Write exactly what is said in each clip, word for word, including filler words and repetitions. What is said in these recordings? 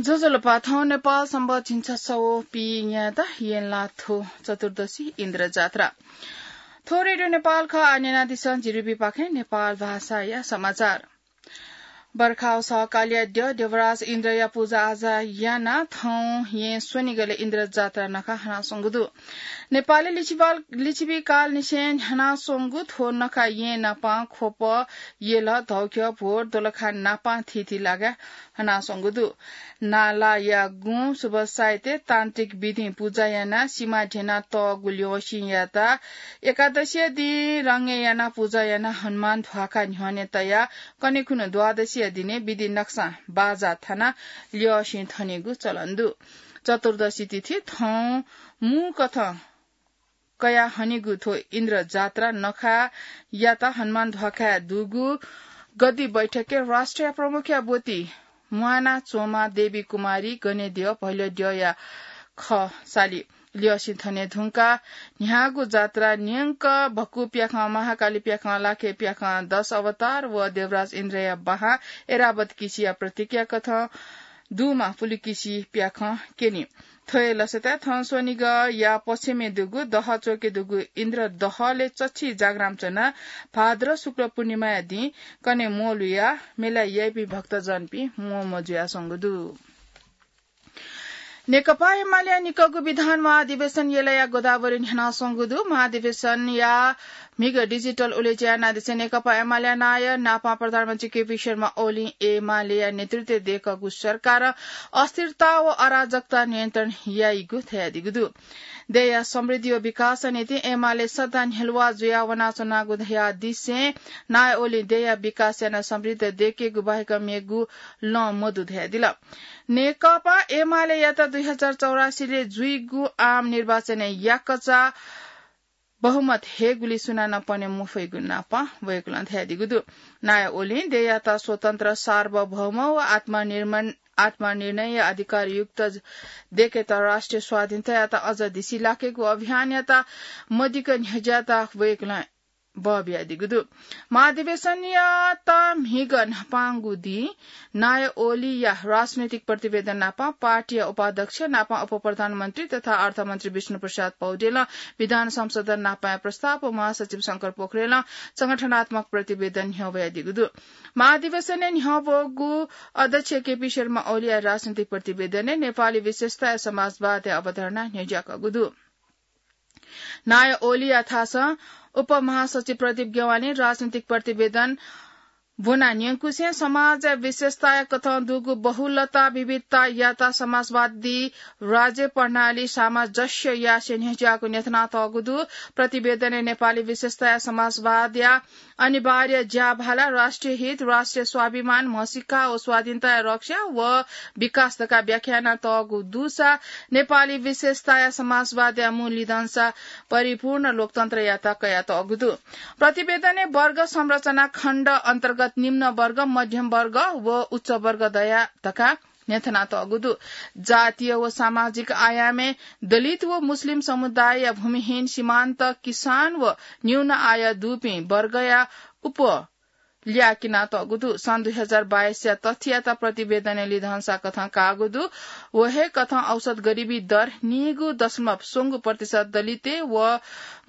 ज्वजलपा, थौं नेपाल संवत् झिंछसः व पीन्यादँ येँला थ्व चतुर्दशी इन्द्र जात्रा। थ्व रेडियो नेपाल खः। आः न्यनादिसँ जिरिबीपाखें नेपाल भाषाया समाचार। बर्खा व सहकालया द्यः देवराज इन्द्रया पुजा आजा यानाः थौं येँ स्वनिगलय् इन्द्र जात्रा नखः हनाच्वंगु दु। नेपालय् लिच्छवि काल, लिच्छवि कालनिसें हनाच्वंगु थ्व नखः येँ नापं ख्वप, यल, धौख्यः, भोर, दोलखा नापं थीथी लागाय् हनाच्वंगु दु। नालाया गुँ शुभ साइत तान्त्रिक विधिं पुजा यानाः सिमा ध्यनातःगु ल्यःसिं याताः एकादशीया दिं रंगय् यानाः पुजा यानाः हनुमान ध्वाखा न्ह्यःने तयाः कन्हय् खुन्हु द्वादशीया दिने विधि नक्सां बाजा थानाः ल्यःसिं थनेगु चलन दु। चतुर्दशी तिथि थौं मू कथं कयाः हनीगु थ्व इन्द्र जात्रा नखःयात हनुमान ध्वाखाय् दुगु गद्दी बैठकय् राष्ट्रिय प्रमुखया ब्वति म्वाना च्वंम्ह देवी कुमारी गनेद्यः भैलोद्यःया खःसालि ल्यःसिं थने धुंकाः न्ह्याःगु जात्रा न्यंक भक्कु प्याखं, महाकाली प्याखं, लाखे प्याखं, दश अवतार व देवराज इन्द्रया बाहां ऐरावत किसिया प्रतीकया कथं दुम्ह पुलुकिसि प्याखं क्यनी। थ्व हे लसताय् थौं स्वनिगःया पच्छिमय् दुगु दह च्वके दुगु इन्द्र दहलय् चच्छि जागराम च्वनाः भाद्र शुक्ल पूर्णिमाया दिं कन्हय् म्वःल्हुयाः मेला याइपिं भक्तजनपिं म्वःम्वः जुयाच्वंगु दु। नेकपा एमालेया निकःगु विधान महाधिवेशन यलया गोदावरी न्ह्यानाच्वंगु दु। महाधिवेशनया म्हिगः डिजिटल उलेज्या यानादिसें नेकपा एमालेया नायः नापं प्रधानमन्त्री केपी शर्मा ओलीं एमालेया नेतृत्वय् दय्कःगु सरकारं अस्थिरता व अराजकता नियन्त्रण याइगु धयादीगु दु। देय्या समृद्धि व विकासया निंतिं एमाले सदां न्ह्यलुवा जुयाः वनाच्वनागु धयादिसें नायः ओलीं देय्या विकास यानाः समृद्ध दय्केगु बाहेक मेगु लँ मदु धयादिल। नेकपा एमालेयात दुई हजार चौरासीलय् जुइगु आम निर्वाचनय् याकःचा बहुमत हयेगुली सुनानं पने मफइगु नापं वय्कलं धयादीगु दु। नायः ओलीं देय्यात स्वतन्त्र, सार्वभौम व आत्मनिर्माण, आत्मनिर्णय अधिकारयुक्त दय्केत राष्ट्रिय स्वाधीनतायात अझ धिसिलाकेगु अभियानयात मदिक्क न्ह्यज्यायेत वय्कलं बः बियादीगु दु। महाधिवेशनयात म्हिगः न्हापांगु दिं नायः ओलीया राजनैतिक प्रतिवेदन नापं पार्टीया उपाध्यक्ष नापं उपप्रधानमन्त्री तथा अर्थमन्त्री विष्णुप्रसाद पौडेलं विधान संशोधन नापंया प्रस्ताव व महासचिव शंकर पोखरेलं संगठनात्मक प्रतिवेदन न्ह्यवयादीगु दु। महाधिवेशनय् न्ह्यवःगु अध्यक्ष केपी शर्मा ओलीया राजनैतिक प्रतिवेदनय् नेपाली विशेषताया समाजवादया अवधारणा न्ह्यज्याकःगु दु। नायः ओलीया थासं उपमहासचिव प्रदीप ज्ञवालीं राजनैतिक प्रतिवेदन ब्वना न्यंकुसें समाजया विशेषताया कथं दुगु बहुलता विविधतायात समाजवादी राज्य प्रणाली सामञ्जस्य यासें न्ह्यज्याःगु न्ह्यथनातःगु दु। प्रतिवेदनय् नेपाली विशेषताया समाजवादया अनिवार्य ज्याभाला, राष्ट्रिय हित, राष्ट्रिय स्वाभिमान, म्हसीका व स्वाधीनताया रक्षा व विकास धकाः व्याख्या यानातःगु दुसा नेपाली विशेषताया समाजवादया मू लिधंसा परिपूर्ण लोकतन्त्रयात कयातःगु दु। प्रतिवेदनय् वर्ग संरचना खण्ड अन्तर्गत निम्न वर्ग, मध्यम वर्ग व उच्च वर्ग दया धकाः न्ह्यथनातःगु दु। जातीय व सामाजिक आयामय् दलित व मुस्लिम समुदायया भूमिहीन, सीमान्त, किसान व न्यून आय दुपिं वर्गया उप ल्याः किनातःगु दु। सन् दुई हजार बाइसया तथ्ययात प्रतिवेदनय् लिधंसा कथं काःगु दु। व हे कथं औसत गरिबी दर नीगु दशमलव स्वंगू प्रतिशत दलितय् व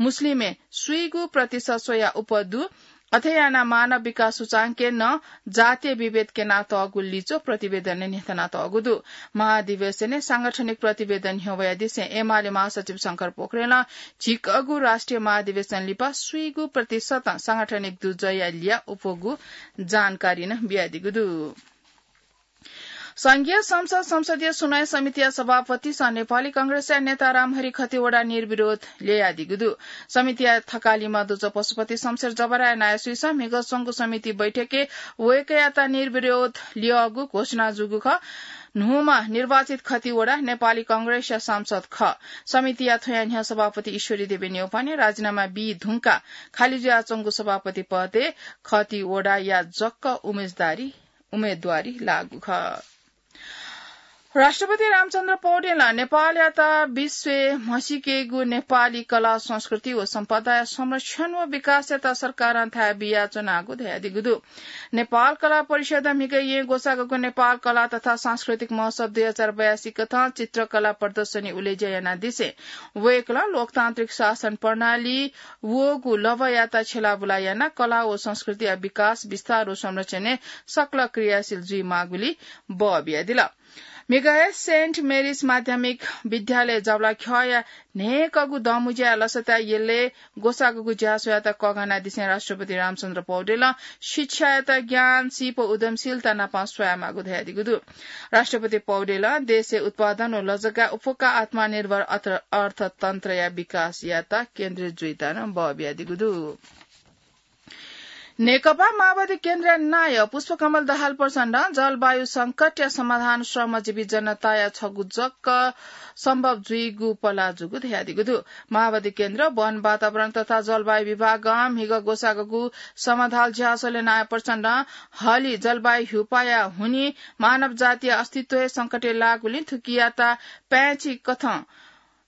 मुस्लिमय् स्वीगू प्रतिशत स्वयाः उप दु। अथे यानाः मानव विकास सूचांकय् नं जातीय विभेद क्यनातःगु लिच्वः प्रतिवेदनय् न्ह्यथनातःगु दु। महाधिवेशनय् सांगठनिक प्रतिवेदन न्ह्यवयादिसें एमाले महासचिव शंकर पोखरेलं झिकःगु राष्ट्रिय महाधिवेशन लिपा स्वीगू प्रतिशतं सांगठनिक दुजःया ल्याः उपगु जानकारी नं बियादीगु दु। संघीय संसद संसदीय सुनवाई समितिया सभापतिसं नेपाली कांग्रेसया नेता रामहरि खतिवडा निर्विरोध ल्ययादीगु दु। समितिया थकालिम्ह दुजः पशुपति शमशेर जबराया नायःसुइसं म्हिगः च्वंगु समिति बैठकय् वय्कःयात निर्विरोध ल्यःगु घोषणा जूगु खः। न्हूम्ह निर्वाचित खतिवडा नेपाली कांग्रेसया सांसद खः। समितिया थ्वया न्ह्यः सभापति ईश्वरी देवी न्यौपाने राजीनामा बी धुंकाः खाली जुयाच्वंगु सभापति पदय् खतिवडाया जक उम्मेदवारी, उम्मेदवारी लाःगु खः। राष्ट्रपति रामचन्द्र पौडेलं नेपालयात विश्वय् म्हसीकेगु नेपाली कला, संस्कृति व सम्पदाया संरक्षण व विकासयात सरकारं थाय् बियाच्वनागु धयादीगु दु। नेपाल कला परिषदं म्हिगः येँ ग्वसाःगु नेपाल कला तथा सांस्कृतिक महोत्सव दुई हजार बयासी कथं चित्रकला प्रदर्शनी उलेज्या यानादिसें वय्कलं लोकतान्त्रिक शासन प्रणाली वःगु लभ्वयात छ्यलाबुला यानाः कला व संस्कृतिया विकास, विस्तार व संरक्षणय् सकल क्रियाशील जुइमाःगुलिं बः बियादिल। म्हिगः हे सेन्ट मेरिज माध्यमिक विद्यालय जबलाख्यःया न्हय्कःगु दँमुँज्याया लसताया यलय् ग्वसाःगु ज्याझ्वःयात कःघानादिसें राष्ट्रपति रामचन्द्र पौडेलं शिक्षायात ज्ञान, सीप, उद्यमशीलता नाप स्वयामाःगु धयादीगु दु। राष्ट्रपति पौडेलं देशय् उत्पादन व लजगाः उफुक्क आत्मनिर्भर अर्थ-, अर्थतन्त्रया विकासयात केन्द्रित जुइत नं बः बियादीगु दु। नेकपा माओवादी केन्द्रया नायः पुष्पकमल दाहाल प्रचण्डं जलवायु संकटया समाधान श्रमजीवी जनताया छगू जक सम्भव जुइगु पलाः जूगु धयादीगु दु। माओवादी केन्द्र, वन, वातावरण तथा जलवायु विभागं म्हिगः ग्वसाःगु समधाल ज्याझ्वलय् नायः प्रचण्डं हलि जलवायु ह्युपाया हुनिं मानव जातिया अस्तित्व हे संकटय् लाःगुलिं थुकियात पाय्छि कथं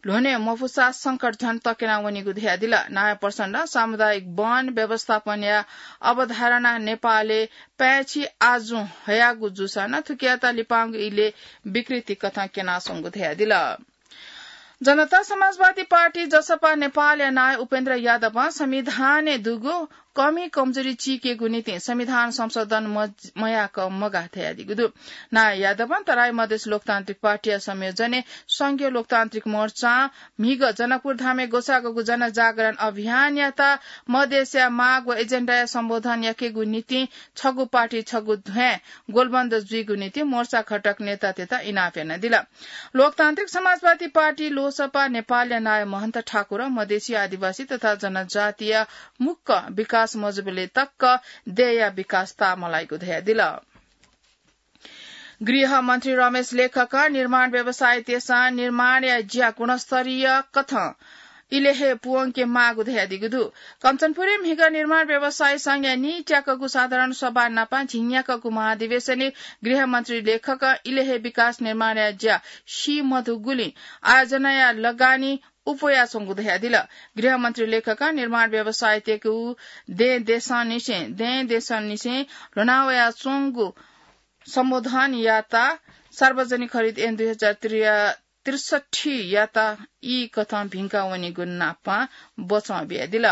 ल्ह्वने मफुसा संकट झन तक्यना वनीगु धयादिल। नायः प्रचण्डं सामुदायिक वन व्यवस्थापनया अवधारणा नेपालय् पाय्छि आजुं हयागु जूसां नं थुकियात लिपांगु इलय् विकृति कथं क्यनाच्वंगु धयादिल। जनता समाजवादी पार्टी, जसपा, नेपालया नायः उपेन्द्र यादवं संविधानय् दुगु कमी कमजोरी चीकेगु निंतिं संविधान संशोधन म-, मयाक मगाः धयादीगु दु। नायः यादवं तराई मधेस लोकतान्त्रिक पार्टीया संयोजनय् संघीय लोकतान्त्रिक मोर्चां म्हिगः जनकपुर धामय् ग्वसाःगु जनजागरण अभियानयात मधेसया माग व एजेन्डाया सम्बोधन याकेगु निंतिं छगू पार्टी छगू ध्वाँय् ग्वलबन्द जुइगु निंतिं मोर्चा घटक नेतातय्त इनाप यानादिल। लोकतान्त्रिक समाजवादी पार्टी, लोसपा, नेपालया नायः महन्त ठाकुरं मधेसी, आदिवासी तथा जनजातिया मुक्क विकास मजुबलय् तक देय्‌या विकास ताःमलाइगु धयादिल। गृहमन्त्री रमेश लेखकं निर्माण व्यवसायीतय्सं निर्माणया ज्या गुणस्तरीय कथं इलय् हे पूवंके माःगु धयादीगु दु। कञ्चनपुरय् म्हिगः निर्माण व्यवसायी संघया नीत्याकःगु साधारण सभा नाप झिंन्याकःगु महाधिवेशनय् गृहमन्त्री लेखकं इलय् हे विकास निर्माणया ज्या सी मधुगुलिं आयोजनाया लगानी उप्वयाच्वंगु धयादिल। गृहमन्त्री लेखकं निर्माण व्यवसायीतय्गु दँय् देशंनिसें, दँय् देशंनिसें ल्ह्वनावयाच्वंगु सम्बोधनयात सार्वजनिक खरिद ऐन दुई हजार त्रिसठ्ठीयात ई कथं भिंका वनीगु नाप बचं बियादिल।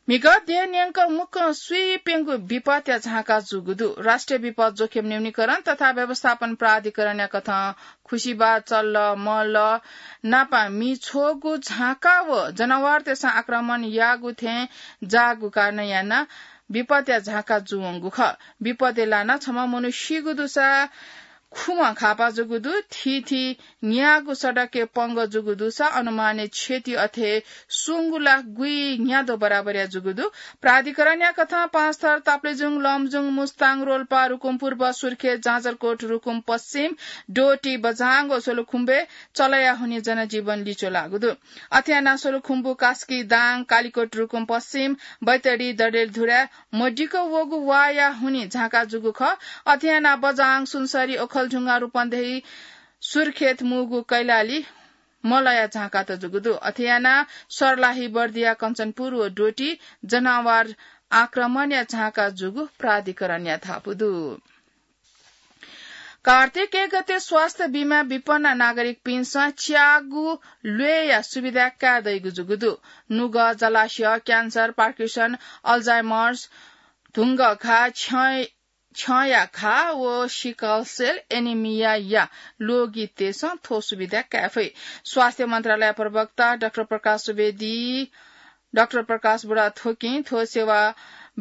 म्हिगः देय् न्यंक मुक्कं स्वीप्यंगु विपतया झांका जूगु दु। राष्ट्रिय विपत जोखिम न्यूनीकरण तथा व्यवस्थापन प्राधिकरणया कथं खुसिबा, चल्ल, मल्ल नाप मि छ्वःगु झांका व जनावरतय्सं आक्रमण याःगु थें जाःगु कारणं यानाः विपतया झांका जूवंगु खः। विपतय् लानाः छम्ह मनू सीगु दुसा खुम्ह घाःपाः जूगु दु। थीथी न्यागू सडकय् पंगः जूगु दुसा अनुमानित क्षति अथे सुंगु लाख गुइन्याद्वः बराबरया जूगु दु। प्राधिकरणया कथं पाँचथर, ताप्लेजुङ, लमजुङ, मुस्ताङ, रोल्पा, रुकुम पूर्व, सुर्खेत, जाजरकोट, रुकुम पश्चिम, डोटी, बझाङ व सोलुखुम्बुय् चलया हुनिं जनजीवन लिच्वलाःगु दु। अथे यानाः सोलुखुम्बु, कास्की, दाङ, कालिकोट, रुकुम पश्चिम, बैतडी, डडेलधुरा, मदिक्क वःगु वाःया हुनिं झांका जूगु खः। अथे यानाः बझाङ, सुनसरी, ओखलढुङ्गा, रूपन्देही, सुर्खेत, मुगु, कैलाली मल्लया झांकात जूगु दु। अथे यानाः सर्लाही, बर्दिया, कञ्चनपुर व डोटी जनावर आक्रमणया झांका जूगु प्राधिकरणया धापू दु। कार्तिक एक गते स्वास्थ्य बिमा विपन्न नागरिकपिन्सं च्यागू ल्वय्या सुविधा काये दइगु जूगु दु। नुगः, जलाशय, क्यान्सर, पार्किन्सन, अल्जाइमर्स, धुंगः घाः, छ्यं, छ्यंया घाः व सिकल सेल एनिमियाया लोगितय्सं थ्व सुविधा काये फइ। स्वास्थ्य मन्त्रालय प्रवक्ता डाक्टर प्रकाश सुवेदी डाक्टर प्रकाश बुढाथोकीं थ्व सेवा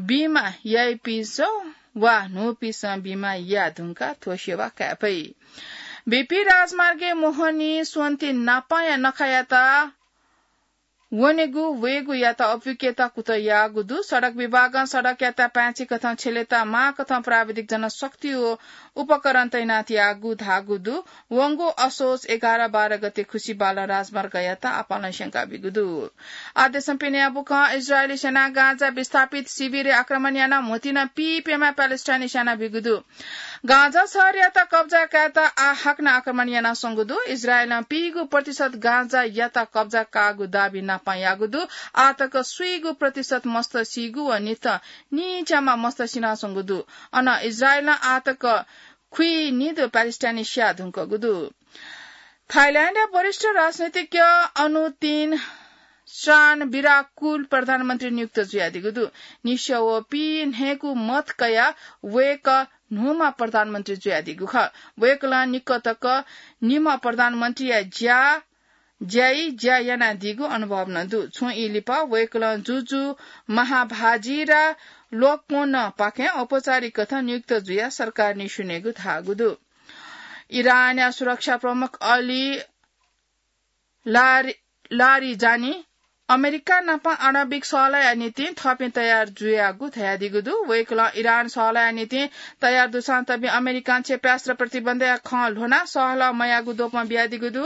बिमा याइपिन्सं वा न्हूपिन्सं बिमा याये धुंकाः थ्व सेवा काये फइ। बीपी राजमार्गय् मोहनी स्वन्ति नापांया नखायात वनेगु वयेगुयात अप्वयेकेत कुतः याःगु दु। सडक विभागं सडकयात पाय्छि कथं छ्यलेत माःकथं प्राविधिक जनशक्ति व उपकरण तैनात याःगु धाःगु दु। वंगु असोज एघार बाह्र गते खुसि बालं राजमार्गयात आपालं स्यंका बीगु दु। आदेशं पिने बुखं इजरायली सेनां गाजा विस्थापित शिविरय् आक्रमण यानाः म्होतिं पीप्यम्ह प्यालेस्टाइनी स्याना बीगु दु। गाजा शहरयात कब्जा कायेत आः हाकनं आक्रमण यानाच्वंगु दु। इजरायलं पीगु प्रतिशत गाजायात कब्जा काःगु दाबी नापं याःगु दु। आः तक स्वीगु प्रतिशत मस्त सीगु व नित नीच्यामा मस्त सिनाच्वंगु दु। अन इजरायलं आः तक खुइनिदु प्यालेस्टाइनी स्याये धुंकूगु दु। थाइल्याण्डया वरिष्ठ राजनीतिज्ञ अनुतिन स्रान विराकुल प्रधानमन्त्री नियुक्त जुयादीगु दु। निस्यं व पीन्हय्‌गू मत कयाः वय्‌कः न्हूम्ह प्रधानमन्त्री जुयादीगु खः। वय्‌कलं निकः तक निम्ह प्रधानमन्त्रीया ज्या, ज्याइ ज्या यानादीगु अनुभव नं दु। छुं ई लिपा वय्‌कलं जुजु महाभाजिरा लोकपोन पाखें औपचारिक कथं नियुक्त जुयाः सरकार निस्यनेगु धाःगु दु। इरानया सुरक्षा प्रमुख अली लारि-, लारिजानी अमेरिका नाप आणविक सहलहया निंतिं थःपिं तयार जुयागु धयादीगु दु। वय्‌कलं इरान सहलहया निंतिं तयार दुसां तबि अमेरिकां क्षेपणास्त्र प्रतिबन्धया खँ ल्ह्वनाः सहलह मयाःगु द्वपं बियादीगु दु।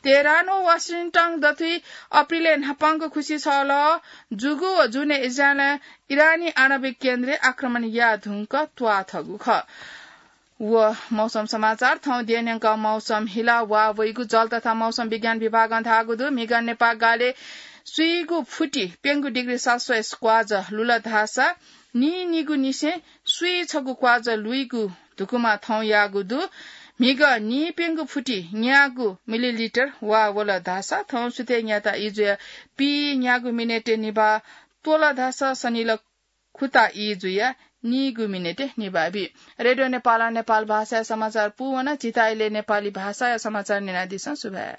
तेहरान व वाशिंटन दथुइ अप्रिलय् न्हापांगु खुसि सहलह जूगु व जुनय् इजरायलं इरानी आणविक केन्द्रय् आक्रमण याये धुंक त्वाःथःगु खः। व मौसम समाचार। थौं देय्‌न्यंक मौसम हिला वा वइगु जल तथा मौसम विज्ञान विभागं धाःगु दु। म्हिगः नेपाः गालय् स्वीगू फुति प्यंगू डिग्री सेल्सियस क्वाज लुल धाःसा नीनिगू निसें स्वीछगू क्वाज लुइगु धुकुमा थौं याःगु दु। म्हिगः नीप्यंगू फुति न्यागू मिलिलिटर वा वल धाःसा थौं सुथय् न्याता ई जुयाः पीन्यागू मिनेटय् निभाः त्वल धाःसा सनिल खुता ई जुयाः नीगू मिनेटय् निभाः बी। रेडियो नेपालं नेपाल भाषाया समाचार पूवन। झीथाय् नेपाली भाषाया समाचार न्यनादिसँ। सुभाय्।